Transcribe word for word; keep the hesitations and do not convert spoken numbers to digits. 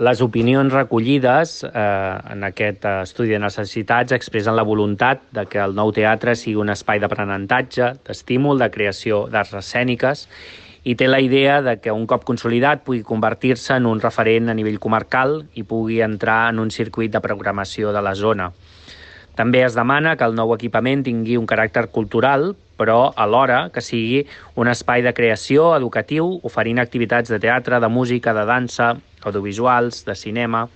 Les opinions recollides eh, en aquest estudi de necessitats expressen la voluntat de que el nou teatre sigui un espai d'aprenentatge, d'estímul, de creació d'arts escèniques, i té la idea de que un cop consolidat pugui convertir-se en un referent a nivell comarcal i pugui entrar en un circuit de programació de la zona. També es demana que el nou equipament tingui un caràcter cultural, però alhora que sigui un espai de creació educatiu, oferint activitats de teatre, de música, de dansa, audiovisuals, de cinema,